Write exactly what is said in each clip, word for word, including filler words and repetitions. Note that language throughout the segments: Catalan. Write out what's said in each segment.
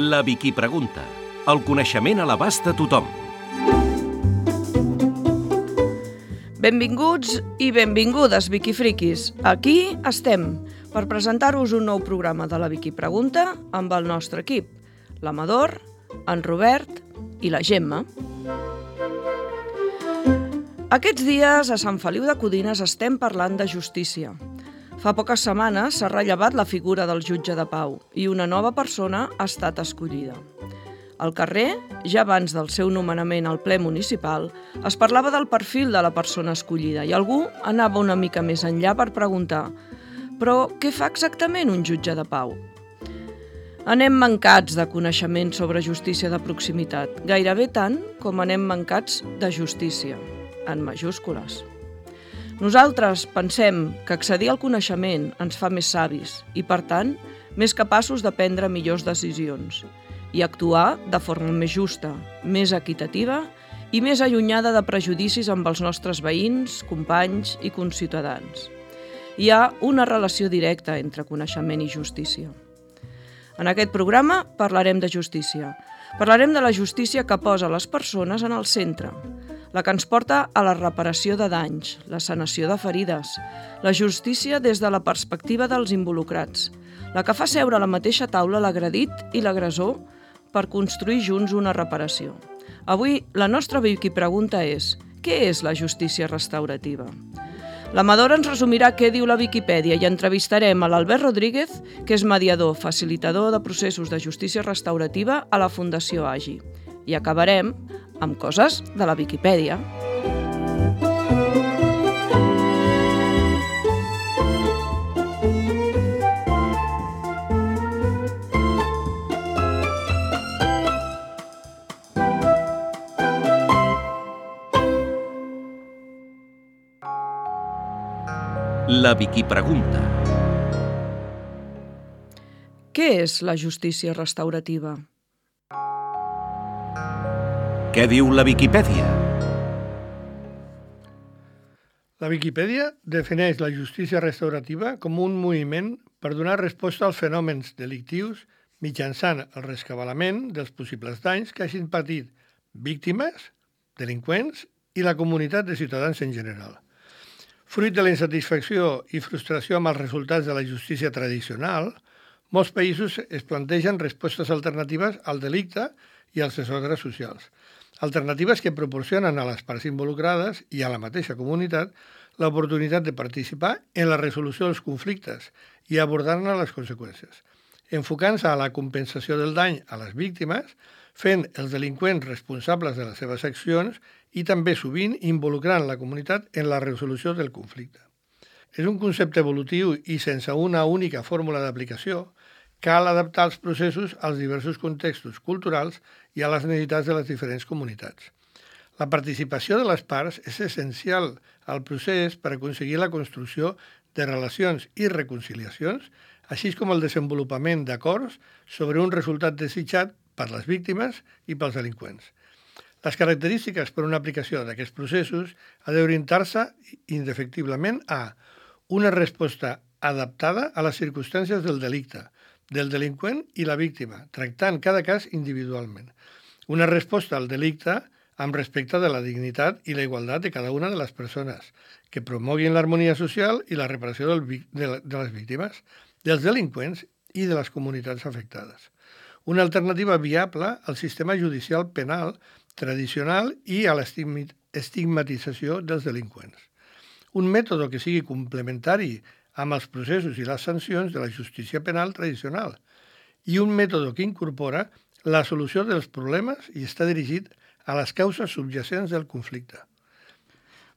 La Vicky Pregunta. El coneixement a l'abast de tothom. Benvinguts i benvingudes, Vicky Friquis. Aquí estem per presentar-vos un nou programa de la Vicky Pregunta amb el nostre equip, l'Amador, en Robert i la Gemma. Aquests dies a Sant Feliu de Codines estem parlant de justícia. Fa poques setmanes s'ha rellevat la figura del jutge de pau i una nova persona ha estat escollida. Al carrer, ja abans del seu nomenament al ple municipal, es parlava del perfil de la persona escollida i algú anava una mica més enllà per preguntar «Però què fa exactament un jutge de pau?» Anem mancats de coneixement sobre justícia de proximitat, gairebé tant com anem mancats de justícia, en majúscules. Nosaltres pensem que accedir al coneixement ens fa més savis i, per tant, més capaços de prendre millors decisions i actuar de forma més justa, més equitativa i més allunyada de prejudicis amb els nostres veïns, companys i conciutadans. Hi ha una relació directa entre coneixement i justícia. En aquest programa parlarem de justícia. Parlarem de la justícia que posa les persones en el centre, la que ens porta a la reparació de danys, la sanació de ferides, la justícia des de la perspectiva dels involucrats, la que fa seure a la mateixa taula l'agredit i l'agressor per construir junts una reparació. Avui la nostra Vicky Pregunta és: què és la justícia restaurativa? L'Amador ens resumirà què diu la Viquipèdia i entrevistarem a l'Albert Rodríguez, que és mediador, facilitador de processos de justícia restaurativa a la Fundació Agi. I acabarem amb coses de la Viquipèdia. La Vicky Pregunta. Què és la justícia restaurativa? Què diu la Viquipèdia? La Viquipèdia defineix la justícia restaurativa com un moviment per donar resposta als fenòmens delictius mitjançant el rescabalament dels possibles danys que hagin patit víctimes, delinqüents i la comunitat de ciutadans en general. Fruit de la insatisfacció i frustració amb els resultats de la justícia tradicional, molts països es plantegen respostes alternatives al delicte i als desordres socials. Alternatives que proporcionen a les parts involucrades i a la mateixa comunitat l'oportunitat de participar en la resolució dels conflictes i abordar-ne les conseqüències, enfocant-se a la compensació del dany a les víctimes, fent els delinqüents responsables de les seves accions i també sovint involucrant la comunitat en la resolució del conflicte. És un concepte evolutiu i sense una única fórmula d'aplicació, cal adaptar els processos als diversos contextos culturals i a les necessitats de les diferents comunitats. La participació de les parts és essencial al procés per aconseguir la construcció de relacions i reconciliacions, així com el desenvolupament d'acords sobre un resultat desitjat per les víctimes i pels delinqüents. Les característiques per a una aplicació d'aquests processos ha d'orientar-se indefectiblement a una resposta adaptada a les circumstàncies del delicte, del delinqüent i la víctima, tractant cada cas individualment. Una resposta al delicte amb respecte de la dignitat i la igualtat de cada una de les persones, que promoguin l'harmonia social i la reparació del, de, de les víctimes, dels delinqüents i de les comunitats afectades. Una alternativa viable al sistema judicial penal tradicional i a l'estigmatització dels delinqüents. Un mètode que sigui complementari amb els processos i les sancions de la justícia penal tradicional i un mètode que incorpora la solució dels problemes i està dirigit a les causes subjacents del conflicte.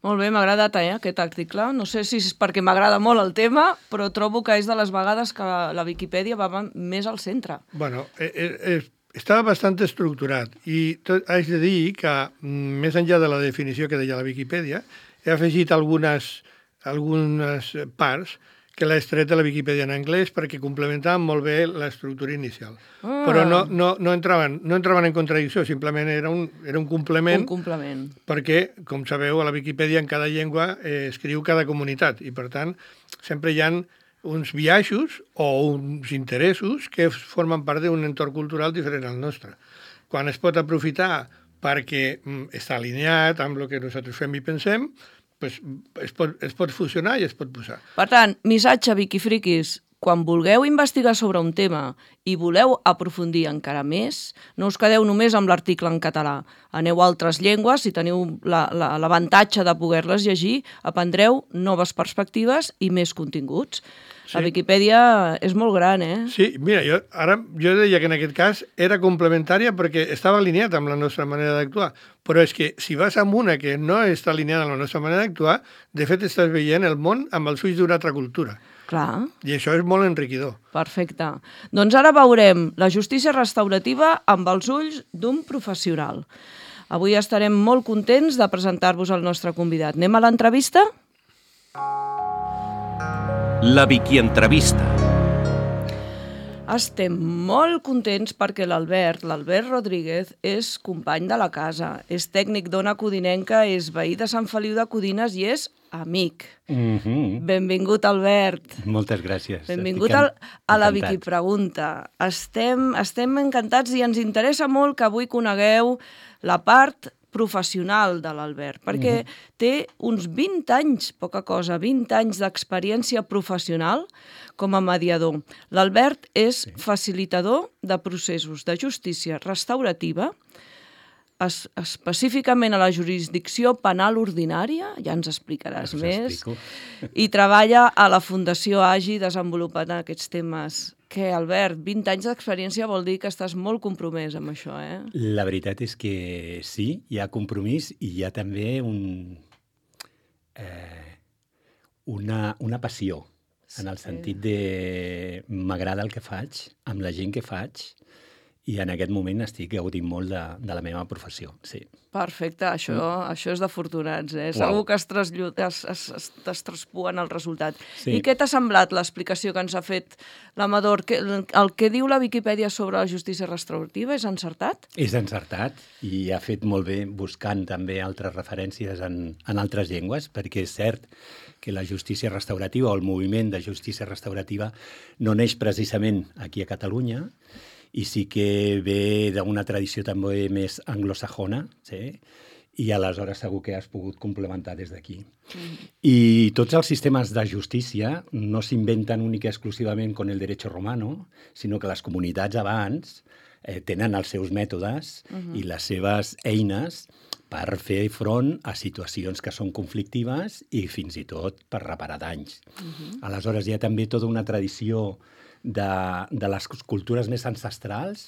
Molt bé, m'ha agradat eh, aquest article. No sé si és perquè m'agrada molt el tema, però trobo que és de les vegades que la Viquipèdia va més al centre. Bueno, eh, eh, estava bastant estructurat i tot, haig de dir que, més enllà de la definició que deia la Viquipèdia, he afegit algunes, algunes parts que l'he extret de la Viquipèdia en anglès perquè complementaven molt bé l'estructura inicial. Ah. Però no, no, no, entraven, no entraven en contradicció, simplement era un, era un complement. Un complement. Perquè, com sabeu, a la Viquipèdia en cada llengua eh, escriu cada comunitat i, per tant, sempre hi ha uns biaixos o uns interessos que formen part d'un entorn cultural diferent al nostre. Quan es pot aprofitar perquè mm, està alineat amb el que nosaltres fem i pensem, pues, es, pot, es pot fusionar i es pot posar. Per tant, missatge, Viquifriquis, quan vulgueu investigar sobre un tema i voleu aprofundir encara més, no us quedeu només amb l'article en català. Aneu a altres llengües, si teniu l'avantatge de poder-les llegir, aprendreu noves perspectives i més continguts. Sí. La Viquipèdia és molt gran, eh? Sí, mira, jo, ara jo deia que en aquest cas era complementària perquè estava alineat amb la nostra manera d'actuar, però és que si vas amb una que no està alineada amb la nostra manera d'actuar, de fet estàs veient el món amb els ulls d'una altra cultura. Clar. I això és molt enriquidor. Perfecte. Doncs ara veurem la justícia restaurativa amb els ulls d'un professional. Avui estarem molt contents de presentar-vos el nostre convidat. Anem a l'entrevista? La Vicky Entrevista. Estem molt contents perquè l'Albert, l'Albert Rodríguez, és company de la casa, és tècnic d'Ona Codinenca, és veí de Sant Feliu de Codines i és amic. Mm-hmm. Benvingut, Albert. Moltes gràcies. Benvingut al, a la Vicky Pregunta. Estem, estem encantats i ens interessa molt que avui conegueu la part professional de l'Albert, perquè mm-hmm. té uns vint anys, poca cosa, vint anys d'experiència professional com a mediador. L'Albert és sí. facilitador de processos de justícia restaurativa, es, específicament a la jurisdicció penal ordinària, ja ens explicaràs Us més, explico. i treballa a la Fundació Agi desenvolupant aquests temes. Què, Albert, vint anys d'experiència vol dir que estàs molt compromès amb això, eh? La veritat és que sí, hi ha compromís i hi ha també un, eh, una, una passió, sí. En el sentit de m'agrada el que faig, amb la gent que faig, i en aquest moment estic gaudint molt de, de la meva professió, sí. Perfecte, això, mm. això és d'afortunats, eh? Uau. Segur que es, trasllud, es, es, es, es traspuen el resultat. Sí. I què t'ha semblat l'explicació que ens ha fet l'Amador? El, el que diu la Viquipèdia sobre la justícia restaurativa és encertat? És encertat i ha fet molt bé buscant també altres referències en, en altres llengües, perquè és cert que la justícia restaurativa o el moviment de justícia restaurativa no neix precisament aquí a Catalunya, i sí que ve d'una tradició també més anglosajona, sí? I aleshores segur que has pogut complementar des d'aquí. Mm. I tots els sistemes de justícia no s'inventen única i exclusivament con el derecho romano, sinó que les comunitats abans eh, tenen els seus mètodes mm-hmm. i les seves eines per fer front a situacions que són conflictives i fins i tot per reparar danys. Mm-hmm. Aleshores hi ha també tota una tradició de, de les cultures més ancestrals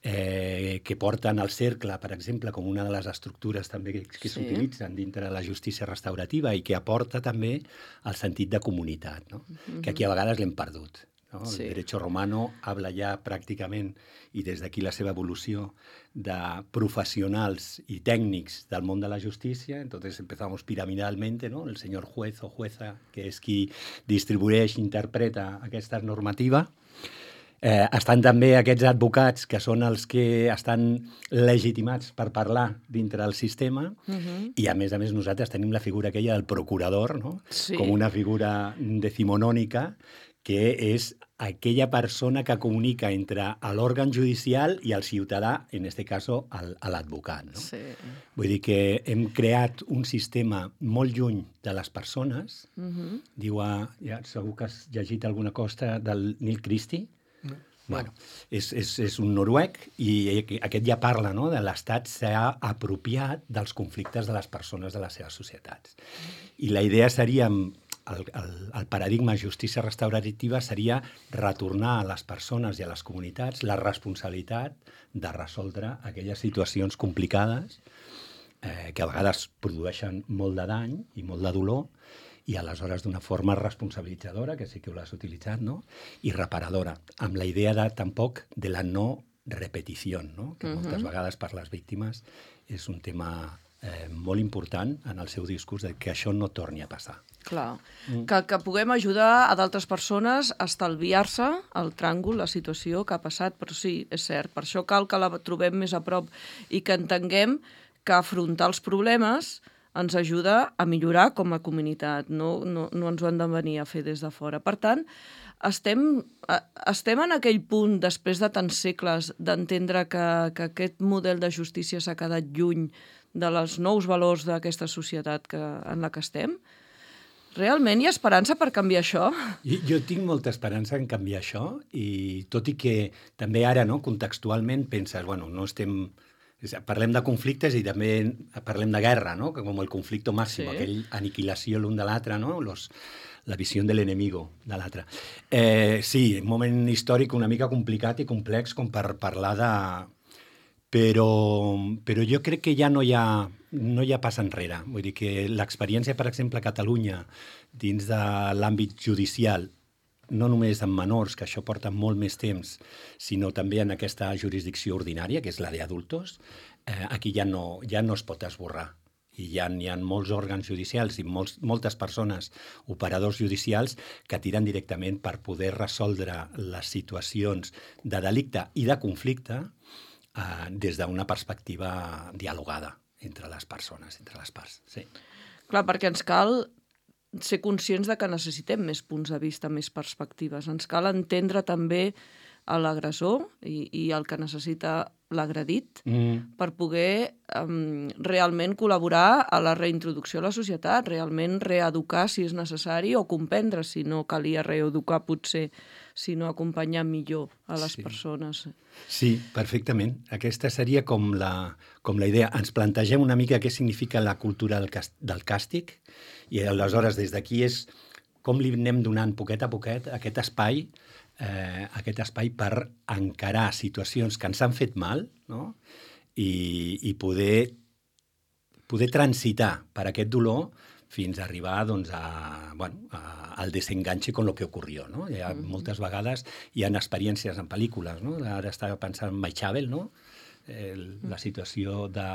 eh, que porten el cercle, per exemple, com una de les estructures també que, que sí. s'utilitzen dintre de la justícia restaurativa i que aporta també el sentit de comunitat, no? Mm-hmm. Que aquí a vegades l'hem perdut. ¿No? Sí. El derecho romano habla ja pràcticament, i des d'aquí la seva evolució, de professionals i tècnics del món de la justícia. Entonces empezamos piramidalmente, ¿no? El señor juez o jueza, que és qui distribueix, interpreta aquesta normativa. Eh, estan també aquests advocats que són els que estan legitimats per parlar dintre del sistema uh-huh. i a més a més nosaltres tenim la figura aquella del procurador, no? Sí. Com una figura decimonònica que és aquella persona que comunica entre l'òrgan judicial i el ciutadà, en este caso l'advocat. No? Sí. Vull dir que hem creat un sistema molt lluny de les persones. Uh-huh. Diu, ja, segur que has llegit alguna cosa del Neil Christie? No. Bueno, és, és, és un noruec i aquest ja parla, no? De l'Estat s'ha apropiat dels conflictes de les persones de les seves societats. I la idea seria, el, el, el paradigma justícia restaurativa seria retornar a les persones i a les comunitats la responsabilitat de resoldre aquelles situacions complicades eh, que a vegades produeixen molt de dany i molt de dolor, i aleshores d'una forma responsabilitzadora, que sí que ho l'has utilitzat, no? I reparadora, amb la idea de, tampoc de la no repetició, no? Que uh-huh. moltes vegades per les víctimes és un tema eh, molt important en el seu discurs de que això no torni a passar. Clar, mm. que, que puguem ajudar a d'altres persones a estalviar-se el tràngol, la situació que ha passat, però sí, és cert, per això cal que la trobem més a prop i que entenguem que afrontar els problemes ens ajuda a millorar com a comunitat, no, no, no ens ho han de venir a fer des de fora. Per tant, estem, estem en aquell punt, després de tants segles, d'entendre que, que aquest model de justícia s'ha quedat lluny de els nous valors d'aquesta societat que, en la que estem. Realment hi ha esperança per canviar això? Jo, jo tinc molta esperança en canviar això, i tot i que també ara, no, contextualment, penses, bueno, no estem... Parlem de conflictes i també parlem de guerra, no? Com el conflicte màxim, sí. Aquell aniquilació l'un de l'altre, no? Los, la visió de l'enemigo de l'altre. Eh, sí, un moment històric una mica complicat i complex com per parlar de... Però, però jo crec que ja no hi ha, no hi ha pas enrere. Vull dir que l'experiència, per exemple, a Catalunya, dins de l'àmbit judicial, no només en menors, que això porta molt més temps, sinó també en aquesta jurisdicció ordinària, que és la d'adultos, eh, aquí ja no, ja no es pot esborrar. I hi ha, hi ha molts òrgans judicials i molts, moltes persones, operadors judicials, que tiren directament per poder resoldre les situacions de delicte i de conflicte eh, des d'una perspectiva dialogada entre les persones, entre les parts. Sí. Clar, perquè ens cal ser conscients de que necessitem més punts de vista, més perspectives. Ens cal entendre també l'agressor i, i el que necessita l'agredit mm. per poder um, realment col·laborar a la reintroducció a la societat, realment reeducar si és necessari o comprendre si no calia reeducar potser, sinó acompanyar millor a les sí. persones. Sí, perfectament. Aquesta seria com la, com la idea. Ens plantegem una mica què significa la cultura del, del càstig i aleshores des d'aquí és com li anem donant poquet a poquet aquest espai eh, aquest espai per encarar situacions que ens han fet mal, no? I, i poder, poder transitar per aquest dolor fins a arribar doncs, a, bueno, a, al desenganche con lo que ocurrió. No? Hi ha, mm-hmm. Moltes vegades hi ha experiències en pel·lícules. No? Ara estava pensant en Maixabel, no? El, la situació de,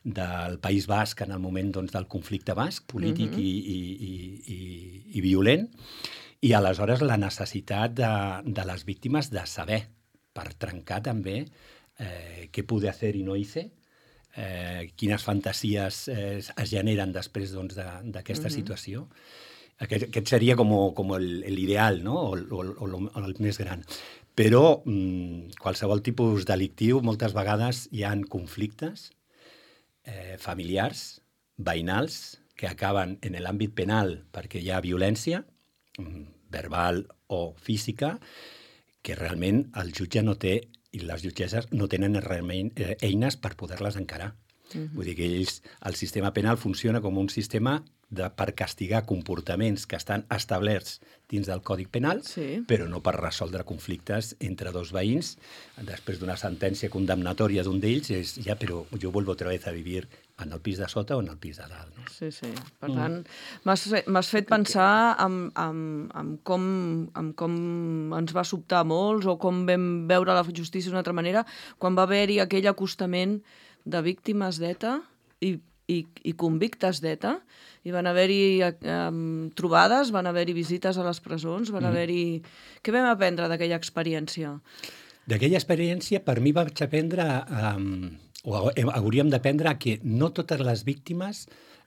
del País Basc en el moment doncs, del conflicte basc, polític mm-hmm. i, i, i, i, i violent, i aleshores la necessitat de, de les víctimes de saber, per trencar també eh, què poder fer i no hice, eh, quines fantasies eh, es generen després doncs, d'aquesta de, mm-hmm. situació. Aquest, aquest seria com, com l'ideal, no? o, o, o, o el més gran. Però mmm, qualsevol tipus delictiu, moltes vegades hi ha conflictes eh, familiars, veïnals, que acaben en l'àmbit penal perquè hi ha violència, mm, verbal o física, que realment el jutge no té, i les jutgesses no tenen realment eh, eines per poder-les encarar. Uh-huh. Vull dir que ells, el sistema penal funciona com un sistema de, per castigar comportaments que estan establerts dins del Codi Penal, sí. però no per resoldre conflictes entre dos veïns. Després d'una sentència condemnatòria d'un d'ells, és ja, però jo vuelvo otra vez a vivir en el pis de sota o en el pis de dalt. No? Sí, sí. Per mm. tant, m'has fet pensar en, en, en, com, en com ens va sobtar a molts o com vam veure la justícia d'una altra manera quan va haver-hi aquell acostament de víctimes d'ETA i, i, i convictes d'ETA, i van haver-hi um, trobades, van haver-hi visites a les presons, van mm. haver-hi... Què vam aprendre d'aquella experiència? D'aquella experiència, per mi vaig aprendre, um, o hauríem d'aprendre que no totes les víctimes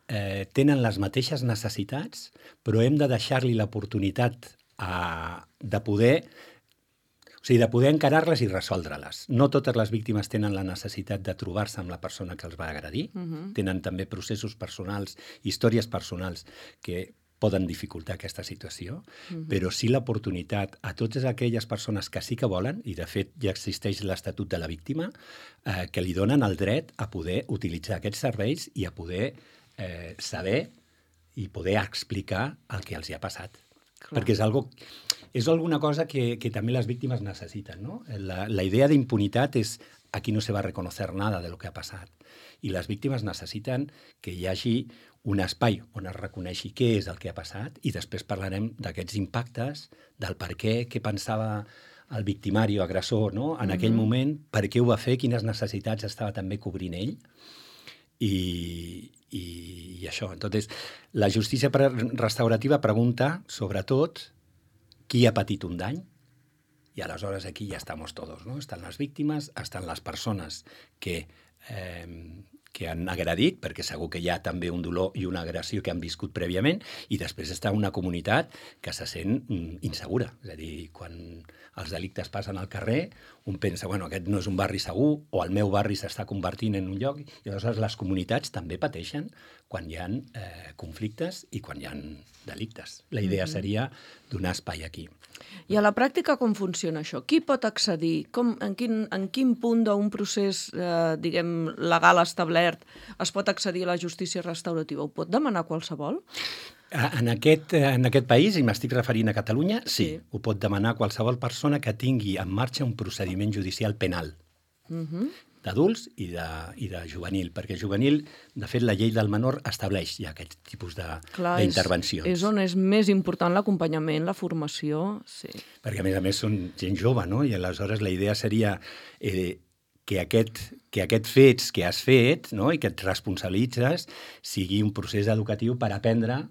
eh, tenen les mateixes necessitats, però hem de deixar-li l'oportunitat a, de poder... O sigui, de poder encarar-les i resoldre-les. No totes les víctimes tenen la necessitat de trobar-se amb la persona que els va agredir. Uh-huh. Tenen també processos personals, històries personals que poden dificultar aquesta situació, uh-huh. però sí l'oportunitat a totes aquelles persones que sí que volen, i de fet ja existeix l'Estatut de la Víctima, eh, que li donen el dret a poder utilitzar aquests serveis i a poder eh, saber i poder explicar el que els hi ha passat. Clar. Perquè és algo... És alguna cosa que, que també les víctimes necessiten, ¿no? La, la idea de impunitat és aquí no se va a reconocer nada de lo que ha passat. I les víctimes necessiten que hi hagi un espai on es reconeixi què és el que ha passat i després parlarem d'aquests impactes, del per què, què pensava el victimari o agressor, no? En mm-hmm. aquell moment, per què ho va fer, quines necessitats estava també cobrint ell. I, i, i això. Entonces, la justícia restaurativa pregunta, sobretot, qui ha patit un dany, i aleshores aquí ja estamos todos, ¿no? Estan les víctimes, estan les persones que, eh, que han agredit, perquè segur que hi ha també un dolor i una agressió que han viscut prèviament, i després està una comunitat que se sent mm, insegura. És a dir, quan els delictes passen al carrer, un pensa, bueno, aquest no és un barri segur, o el meu barri s'està convertint en un lloc, i aleshores les comunitats també pateixen quan hi ha eh, conflictes i quan hi ha delictes. La idea mm-hmm. seria donar espai aquí. I a la pràctica com funciona això? Qui pot accedir? Com, en, quin, en quin punt d'un procés eh, diguem, legal establert es pot accedir a la justícia restaurativa? Ho pot demanar qualsevol? En aquest, en aquest país, i m'estic referint a Catalunya, sí, Sí. ho pot demanar qualsevol persona que tingui en marxa un procediment judicial penal. Uh-huh. D'adults i de, i de juvenil, perquè juvenil, de fet, la llei del menor estableix ja aquest tipus d'intervencions. És, és on és més important l'acompanyament, la formació, sí. Perquè, a més a més, són gent jove, no? I aleshores la idea seria eh, que, aquest, que aquest fets que has fet, no? I que et responsabilitzes sigui un procés educatiu per aprendre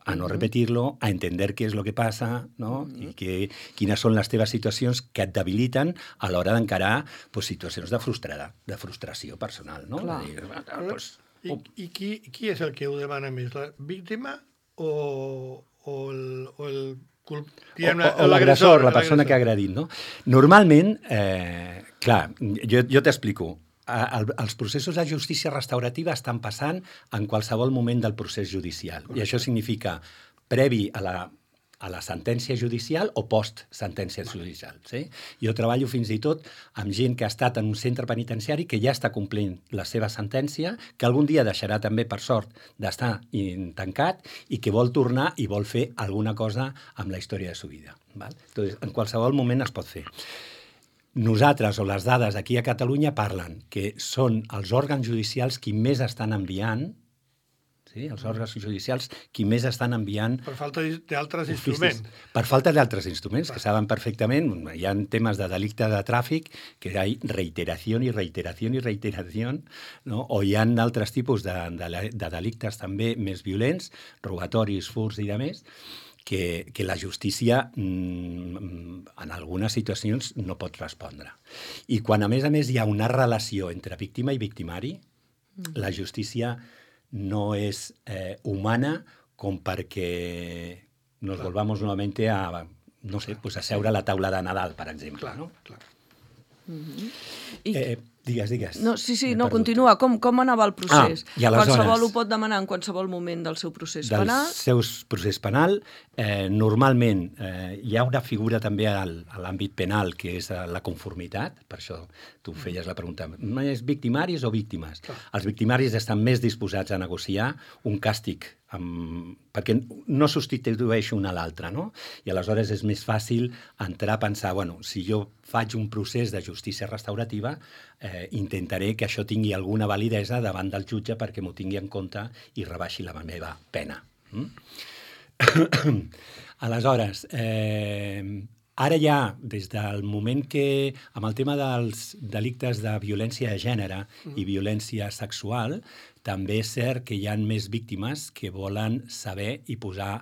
a no repetir-lo, a entender què és el que passa, no? I que, quines són les teves situacions que et debiliten a l'hora d'encarar pues, situacions de, frustrada, de frustració personal. No? Clar. Dir, pues, I, i qui, qui és el que ho demana més? La víctima o, o el... O el o, o l'agressor, la persona que ha agredit, no? Normalment, eh, clar, jo, jo t'explico, el, els processos de justícia restaurativa estan passant en qualsevol moment del procés judicial. Correcte. I això significa previ a la, a la sentència judicial o post-sentència judicial. Sí? Jo treballo fins i tot amb gent que ha estat en un centre penitenciari que ja està complint la seva sentència, que algun dia deixarà també, per sort, d'estar tancat i que vol tornar i vol fer alguna cosa amb la història de sa vida. Val? Entonces, en qualsevol moment es pot fer. Nosaltres, o les dades aquí a Catalunya, parlen que són els òrgans judicials qui més estan enviant, sí? els òrgans judicials qui més estan enviant... Per falta d'altres instruments. Per falta d'altres instruments, que saben perfectament. Hi ha temes de delicte de tràfic, que hi ha reiteració i reiteració i reiteració, no? O hi ha altres tipus de, de, de delictes també més violents, robatoris, furts i demés, Que, que la justícia mm, en algunes situacions no pot respondre. I quan, a més a més, hi ha una relació entre víctima i victimari, mm. la justícia no és eh, humana com perquè nos clar. volvamos nuevamente a, no sé, pues a seure a la taula de Nadal, per exemple. Clar, no? clar. Mm-hmm. I... Eh, digues, digues. No, sí, sí, no, continua. Com, com anava el procés? Ah, i aleshores, qualsevol ho pot demanar en qualsevol moment del seu procés del penal? Del seu procés penal, eh, normalment eh, hi ha una figura també al, a l'àmbit penal que és la conformitat, per això tu feies la pregunta, no és victimaris o víctimes? Clar. Els victimaris estan més disposats a negociar un càstig, amb, perquè no substitueix un a l'altre, no? I aleshores és més fàcil entrar a pensar, bueno, si jo faig un procés de justícia restaurativa, eh, intentaré que això tingui alguna validesa davant del jutge perquè m'ho tingui en compte i rebaixi la meva pena. Mm? Aleshores, eh, ara ja, des del moment que, amb el tema dels delictes de violència de gènere i violència sexual, també és cert que hi ha més víctimes que volen saber i posar,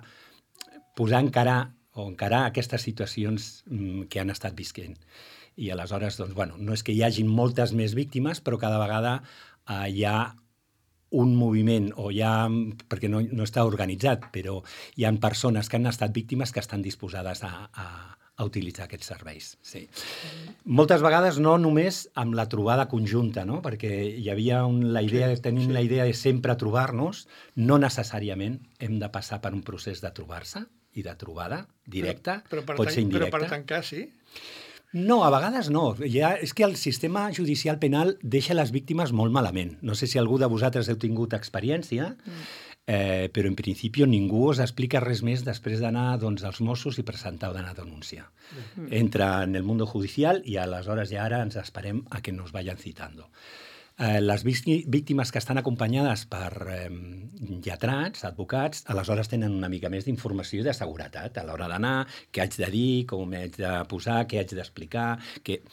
posar encarar o encarar aquestes situacions que han estat visquent. I aleshores, doncs, bueno, no és que hi hagin moltes més víctimes, però cada vegada eh, hi ha un moviment, o hi ha, perquè no, no està organitzat, però hi ha persones que han estat víctimes que estan disposades a, a, a utilitzar aquests serveis. Sí. Moltes vegades no només amb la trobada conjunta, no? Perquè hi havia un, la idea, sí, tenim sí. la idea de sempre trobar-nos, no necessàriament hem de passar per un procés de trobar-se i de trobada directa, però, però pot ser indirecta. Però per tancar, sí? No, a vegades no. Ja, és que el sistema judicial penal deixa les víctimes molt malament. No sé si algú de vosaltres heu tingut experiència, mm. eh, però en principi ningú us explica res més després d'anar doncs, als Mossos i presentar una denúncia. Mm. Entra en el mundo judicial i aleshores ja ara ens esperem a que nos vayan citando. Eh, les víctimes que estan acompanyades per eh, lletrats, advocats, aleshores tenen una mica més d'informació i de seguretat a l'hora d'anar, què haig de dir, com m'haig de posar, què haig d'explicar... Que...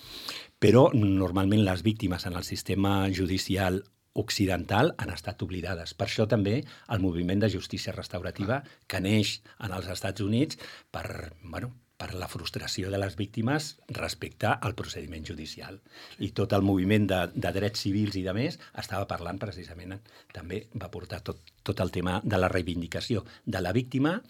Però normalment les víctimes en el sistema judicial occidental han estat oblidades. Per això també el moviment de justícia restaurativa que neix en els Estats Units per, bueno, per la frustració de les víctimes respecte al procediment judicial. I tot el moviment de, de drets civils i de més estava parlant precisament, també va portar tot, tot el tema de la reivindicació de la víctima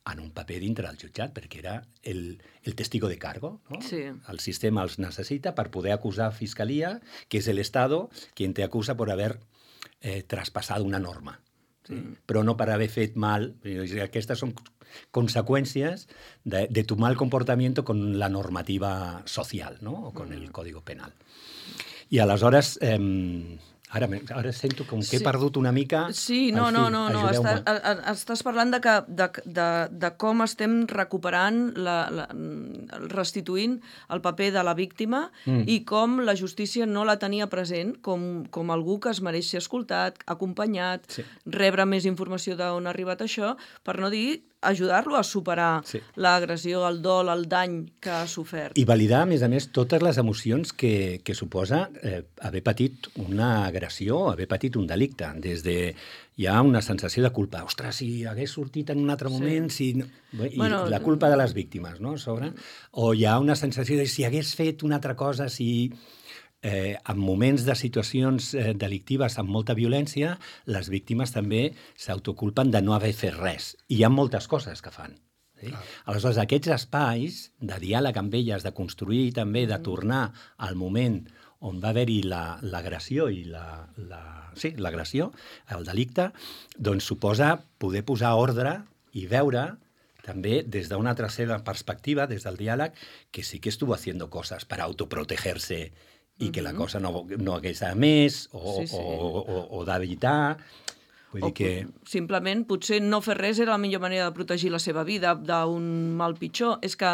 en un paper dintre del jutjat, perquè era el, el testigo de cargo, ¿no? Sí. El sistema els necessita per poder acusar a Fiscalia, que és el Estado quien te acusa por haber eh, traspasado una norma. Sí? Mm. Però no per haver fet mal. Aquestes són conseqüències de, de tu mal comportamiento con la normativa social, ¿no? O con mm. el Código Penal. I aleshores... Eh, Ara, ara sento com que sí. he perdut una mica... Sí, no, no, no, no. Està, a, a, estàs parlant de, que, de, de, de com estem recuperant, la, la, restituint el paper de la víctima mm. i com la justícia no la tenia present com, com algú que es mereix ser escoltat, acompanyat, sí. rebre més informació d'on ha arribat això, per no dir ajudar-lo a superar sí. l'agressió, el dol, el dany que ha sofert. I validar, a més a més, totes les emocions que, que suposa eh, haver patit una agressió, haver patit un delicte. Des de... Hi ha una sensació de culpa. Ostres, si hagués sortit en un altre moment... Sí. Si... I bueno, la culpa de les víctimes, no?, sobre. O hi ha una sensació de si hagués fet una altra cosa, si... Eh, en moments de situacions eh, delictives amb molta violència, les víctimes també s'autoculpen de no haver fet res. I hi ha moltes coses que fan. Sí? Aleshores, aquests espais de diàleg amb elles, de construir també, de tornar al moment on va haver-hi l'agressió la, i la, la, sí, l'agressió, el delicte, doncs suposa poder posar ordre i veure també des d'una altra seva perspectiva, des del diàleg, que sí que estuvo haciendo cosas para autoprotegerse i que la cosa no, no hagués a més, o, sí, sí. o, o, o d'evitar... Vull dir que... Simplement, potser no fer res era la millor manera de protegir la seva vida d'un mal pitjor. És que...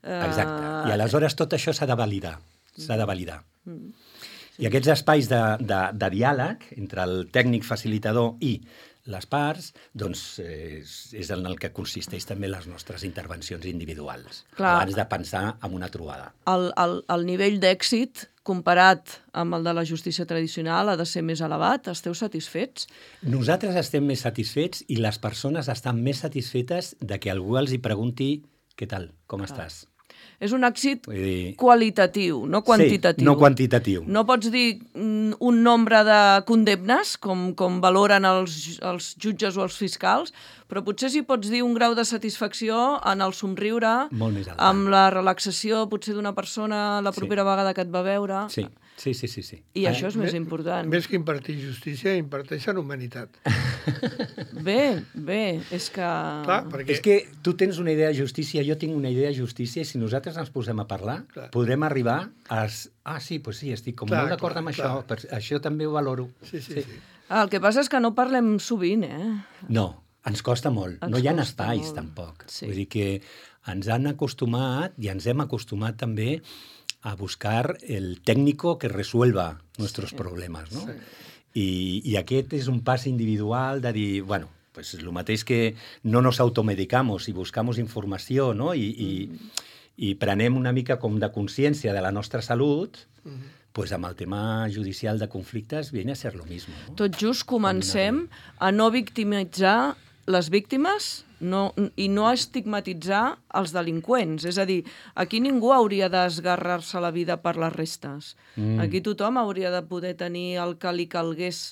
Eh... Exacte. I aleshores tot això s'ha de validar. S'ha de validar. Mm. Sí. I aquests espais de, de, de diàleg entre el tècnic facilitador i les parts, doncs és, és en el que consisteix també les nostres intervencions individuals, Clar, abans de pensar en una trobada. El, el, el nivell d'èxit comparat amb el de la justícia tradicional ha de ser més elevat? Esteu satisfets? Nosaltres estem més satisfets i les persones estan més satisfetes de que algú els hi pregunti què tal, com Clar. estàs? És un èxit dir... qualitatiu, no quantitatiu. Sí, no quantitatiu. No pots dir un nombre de condemnes, com, com valoren els, els jutges o els fiscals, però potser sí pots dir un grau de satisfacció en el somriure, amb la relaxació potser d'una persona la propera sí. vegada que et va veure. Sí, sí, sí. sí, sí. I ah, això és més important. Més que impartir justícia, imparteixen humanitat. Bé, bé, és que... Clar, perquè... És que tu tens una idea de justícia, jo tinc una idea de justícia, i si nosaltres ens posem a parlar, clar. podrem arribar a... Ah, sí, doncs sí, estic com clar, molt d'acord amb clar. això, per... això també ho valoro. Sí, sí, sí. sí. Ah, el que passa és que no parlem sovint, eh? No. Ens costa molt. Ens no hi ha espais, molt. tampoc. Sí. Vull dir que ens han acostumat i ens hem acostumat també a buscar el técnico que resuelva nuestros sí. problemes, no? Sí. I, I aquest és un pas individual de dir, bueno, pues el mateix que no nos automedicamos i buscamos informació, no? I, i, mm. i prenem una mica com de consciència de la nostra salut, mm. pues amb el tema judicial de conflictes viene a ser lo mismo. No? Tot just comencem a no victimitzar les víctimes no, i no estigmatitzar els delinqüents. És a dir, aquí ningú hauria d'esgarrar-se la vida per les restes. Mm. Aquí tothom hauria de poder tenir el que li calgués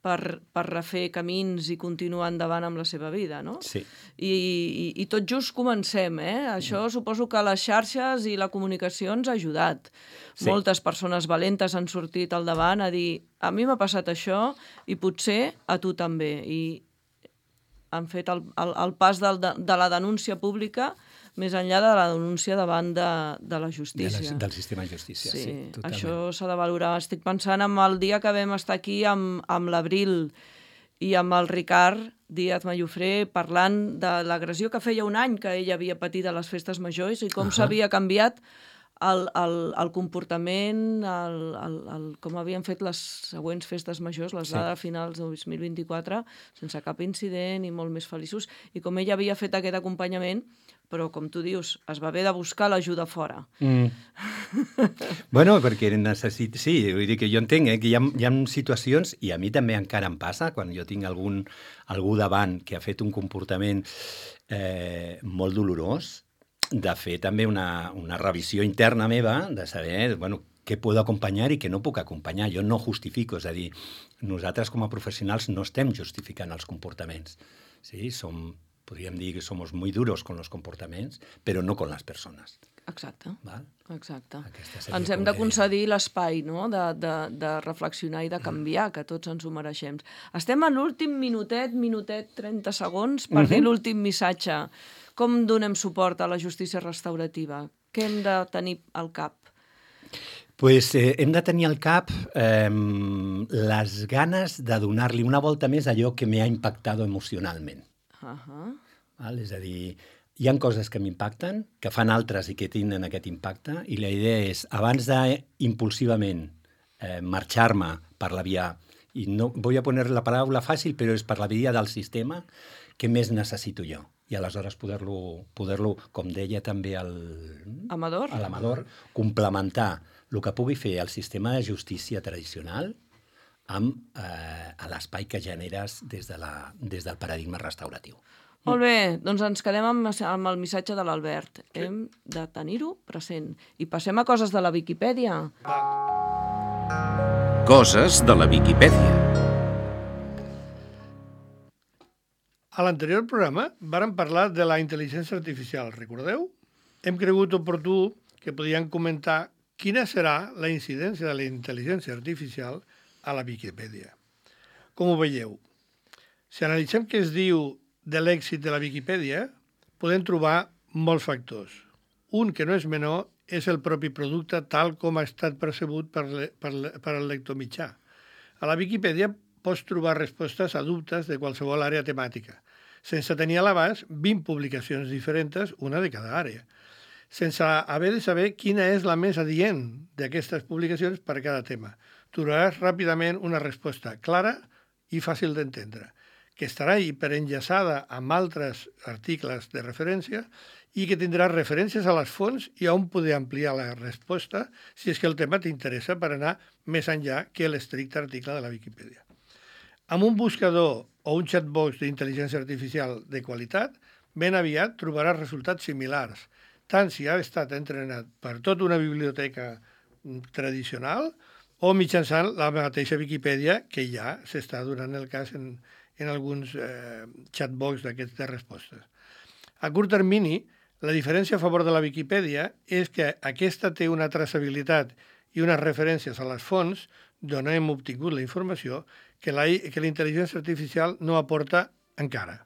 per, per refer camins i continuar endavant amb la seva vida, no? Sí. I, i, i tot just comencem, eh? Això mm. suposo que les xarxes i la comunicació ens ha ajudat. Sí. Moltes persones valentes han sortit al davant a dir a mi m'ha passat això i potser a tu també. I han fet el, el, el pas del, de, de la denúncia pública més enllà de la denúncia davant de, de la justícia. De la, del sistema de justícia, sí, sí totalment. Això s'ha de valorar. Estic pensant en el dia que vam estar aquí amb, amb l'Abril i amb el Ricard Díaz Mallofré parlant de l'agressió que feia un any que ell havia patit a les festes majors i com uh -huh. s'havia canviat El, el, el comportament, el, el, el, com havien fet les següents festes majors, les sí. dades finals del dos mil vint-i-quatre, sense cap incident i molt més feliços, i com ell havia fet aquest acompanyament, però, com tu dius, es va haver de buscar l'ajuda fora. Mm. Bueno, perquè necessit... Sí, vull dir que jo entenc eh, que hi ha, hi ha situacions, i a mi també encara em passa, quan jo tinc algun, algú davant que ha fet un comportament eh, molt dolorós, de fer també una, una revisió interna meva, de saber, bueno, què puc acompanyar i què no puc acompanyar. Jo no justifico, és a dir, nosaltres com a professionals no estem justificant els comportaments. Sí? Som, podríem dir que som muy duros con los comportaments, però no con les persones. Exacte. Val? Exacte. Ens ens hem de concedir l'espai, no?, de, de, de reflexionar i de canviar, que tots ens ho mereixem. Estem a l'últim minutet, minutet, trenta segons, per uh-huh. dir l'últim missatge. Com donem suport a la justícia restaurativa? Què hem de tenir al cap? Pues, eh, hem de tenir al cap eh, les ganes de donar-li una volta més a allò que m'ha impactat emocionalment. Uh-huh. Val? És a dir, hi ha coses que m'impacten, que fan altres i que tenen aquest impacte, i la idea és, abans d'impulsivament eh, marxar-me per la via, i no vull a poner la paraula fàcil, però és per la via del sistema, què més necessito jo? I aleshores poder-lo, poder-lo, com deia també el... Amador. A l'Amador, complementar el que pugui fer el sistema de justícia tradicional amb eh, l'espai que generes des, de la, des del paradigma restauratiu. Molt bé, doncs ens quedem amb, amb el missatge de l'Albert. Sí. Hem de tenir-ho present. I passem a coses de la Viquipèdia. Coses de la Viquipèdia. A l'anterior programa vàrem parlar de la intel·ligència artificial, recordeu? Hem cregut oportú que podíem comentar quina serà la incidència de la intel·ligència artificial a la Viquipèdia. Com ho veieu? Si analitzem què es diu de l'èxit de la Viquipèdia, podem trobar molts factors. Un que no és menor és el propi producte tal com ha estat percebut per, le, per, le, per el lector mitjà. A la Viquipèdia pots trobar respostes a dubtes de qualsevol àrea temàtica, sense tenir a l'abast vint publicacions diferents, una de cada àrea, sense haver de saber quina és la més adient d'aquestes publicacions per a cada tema. Trobaràs ràpidament una resposta clara i fàcil d'entendre, que estarà hiperenllaçada amb altres articles de referència i que tindrà referències a les fonts i on poder ampliar la resposta si és que el tema t'interessa per anar més enllà que l'estricte article de la Viquipèdia. Amb un buscador o un chatbox d'intel·ligència artificial de qualitat, ben aviat trobaràs resultats similars, tant si ha estat entrenat per tota una biblioteca tradicional o mitjançant la mateixa Viquipèdia que ja s'està donant el cas en, en alguns eh, chatbox d'aquests de respostes. A curt termini, la diferència a favor de la Viquipèdia és que aquesta té una traçabilitat i unes referències a les fonts d'on hem obtingut la informació que la, que la intel·ligència artificial no aporta encara.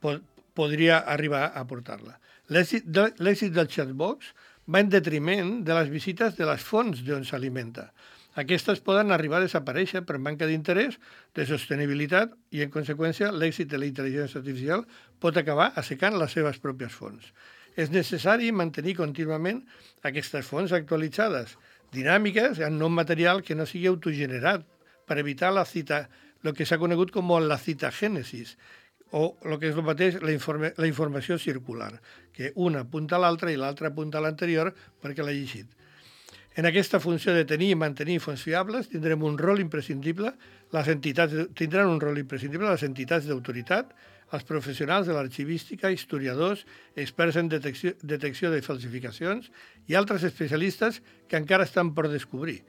Pod, podria arribar a aportar-la. L'èxit de, l'èxit del chatbox va en detriment de les visites de les fonts d'on s'alimenta. Aquestes poden arribar a desaparèixer per manca d'interès, de sostenibilitat i, en conseqüència, l'èxit de la intel·ligència artificial pot acabar assecant les seves pròpies fonts. És necessari mantenir contínuament aquestes fonts actualitzades, dinàmiques, en nom material que no sigui autogenerat, per evitar la cita, el que s'ha conegut com la citagènesis, o el que és el mateix, la, informe, la informació circular, que una apunta a l'altra i l'altra apunta a l'anterior perquè l'ha llegit. En aquesta funció de tenir i mantenir fonts fiables tindrem un rol imprescindible, les entitats tindran un rol imprescindible les entitats d'autoritat, els professionals de l'arxivística, historiadors, experts en detecció, detecció de falsificacions i altres especialistes que encara estan per descobrir.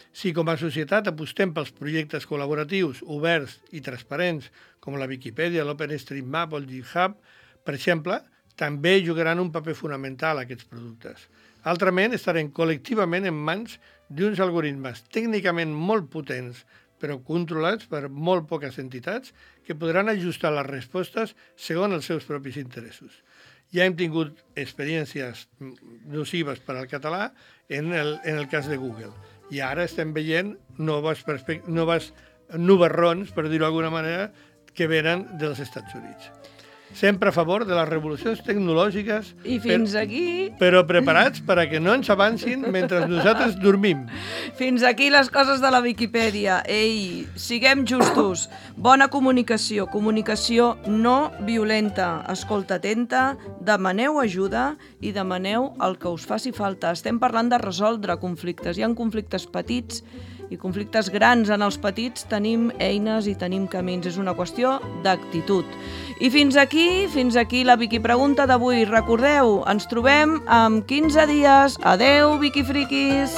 Si com a societat apostem pels projectes col·laboratius, oberts i transparents, com la Viquipèdia, l'OpenStreetMap o el GitHub, per exemple, també jugaran un paper fonamental aquests productes. Altrament, estarem col·lectivament en mans d'uns algoritmes tècnicament molt potents, però controlats per molt poques entitats, que podran ajustar les respostes segons els seus propis interessos. Ja hem tingut experiències nocives per al català en el, en el cas de Google. I ara estem veient noves, noves nubarrons, per dir-ho d'alguna manera, que venen dels Estats Units. Sempre a favor de les revolucions tecnològiques, I fins per, aquí... però preparats per a que no ens avancin mentre nosaltres dormim. Fins aquí les coses de la Viquipèdia. Ei, siguem justos. Bona comunicació, comunicació no violenta. Escolta atenta, demaneu ajuda i demaneu el que us faci falta. Estem parlant de resoldre conflictes. Hi ha conflictes petits i conflictes grans en els petits, tenim eines i tenim camins. És una qüestió d'actitud. I fins aquí, fins aquí la Vicky Pregunta d'avui. Recordeu, ens trobem en quinze dies. Adeu, Vicky Friquis!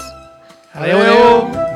Adeu, adeu!